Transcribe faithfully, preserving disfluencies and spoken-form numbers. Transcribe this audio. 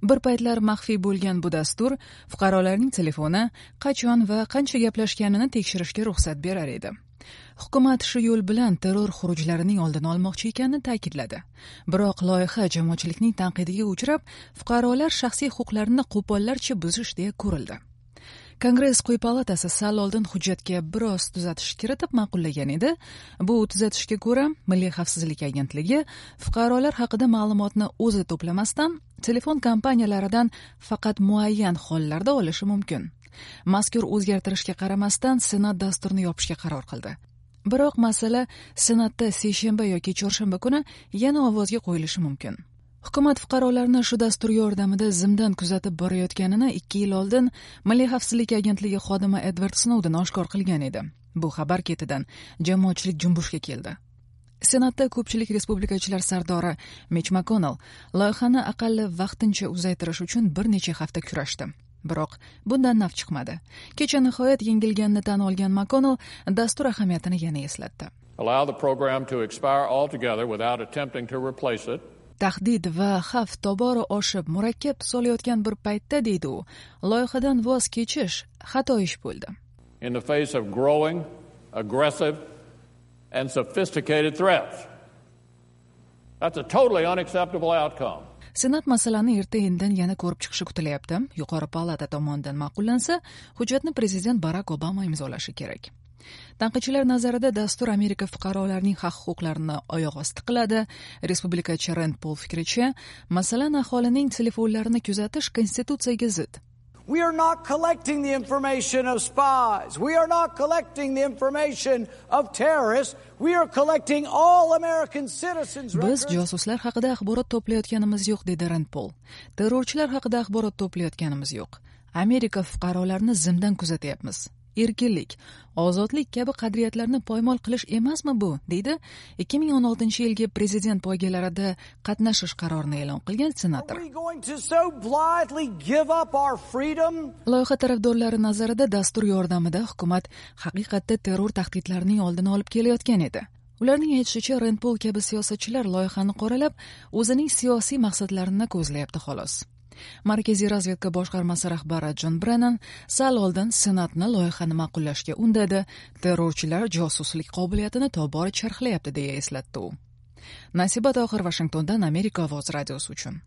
Bir paytlar maxfiy bo'lgan bu dastur fuqarolarning telefoni qachon va qancha gaplashganini tekshirishga ruxsat berar edi. Hukumat shu yo'l bilan terror xurujlarining oldini olmoqchi ekanini ta'kidladi. Biroq loyiha jamoatchilikning tanqidiga uchrab, fuqarolar shaxsiy huquqlarini qo'pollarcha buzish deya ko'rildi. Kongress quyi palatasi sal oldin hujjatga biroz tuzatish kiritib ma'qullagan edi. Bu tuzatishga ko'ra, Milliy xavfsizlik agentligi fuqarolar haqida ma'lumotni o'zi to'plamasdan, telefon kompaniyalaridan faqat muayyan hollarda olishi mumkin. Mazkur o'zgartirishga qaramasdan Senat dasturni yopishga qaror qildi. Biroq masala Senatda seshanba yoki chorshanba kuni yana ovozga qo'yilishi mumkin. Hukumat fuqarolarni shu dastur yordamida zimdan kuzatib borayotganini ikki yil oldin Milliy xavfsizlik agentligi xodimi Edvard Snouden oshkor qilgan edi. Bu xabar ketidan jamoatchilik junbushga keldi. Senatda ko'pchilik respublikachilar sardori Mitch McConnell loyihani aqalli vaqtincha uzaytirish uchun bir necha hafta kurashdi. Biroq bundan naf chiqmadi. Kecha nihoyat yengilganini tan olgan McConnell dastur ahamiyatini yana eslatdi. Allow the program to expire altogether without attempting to replace it. Tahdid va xavf tobora oshib, murakkab tus olayotgan bir paytda, deydi u, loyihadan voz kechish xato ish bo'ldi. In the face of growing, aggressive and sophisticated threats. That's a totally unacceptable outcome. Senat masalani erta indin yana ko'rib chiqishi kutilyapti. Yuqori palata tomonidan ma'qullansa, hujjatni prezident Barak Obama imzolashi kerak. Tanqidchilar nazarida dastur Amerika fuqarolarining haq-huquqlarini oyoq osti qiladi. Respublikachi Rend Pol fikricha, masalan, aholining telefonlarini kuzatish konstitutsiyaga zid. We are not collecting the information of spies. We are not collecting the information of terrorists. We are collecting all American citizens' Biz records. josuslar haqida axborot to'playotganimiz yo'q, dedi Rend Pol. Terrorchilar haqida axborot to'playotganimiz yo'q. Amerika fuqarolarini zimdan kuzatyapmiz. Erkinlik, ozodlik kabi qadriyatlarni poymol qilish emasmi bu, deydi ikki ming o'n oltinchi yilgi prezident poygalarida qatnashish qarorini e'lon qilgan senator. Are we going to so blithely give up our freedom? Loyiha tarafdorlari nazarida dastur yordamida hukumat haqiqatda terror tahdidlarining oldini olib kelayotgan edi. Ularning aytishicha, Rend Pol kabi siyosatchilar loyihani qoralab, o'zining siyosiy maqsadlarini ko'zlayapti xolos. Markaziy razvedka boshqarmasi rahbari Jon Brennan sal oldin Senatni loyihani ma'qullashga undadi. Terrorchilar josuslik qobiliyatini tobora charxlayapti, deya eslatdi u. Nasiba Tohir, Vashingtondan Amerika ovozi radiosi uchun.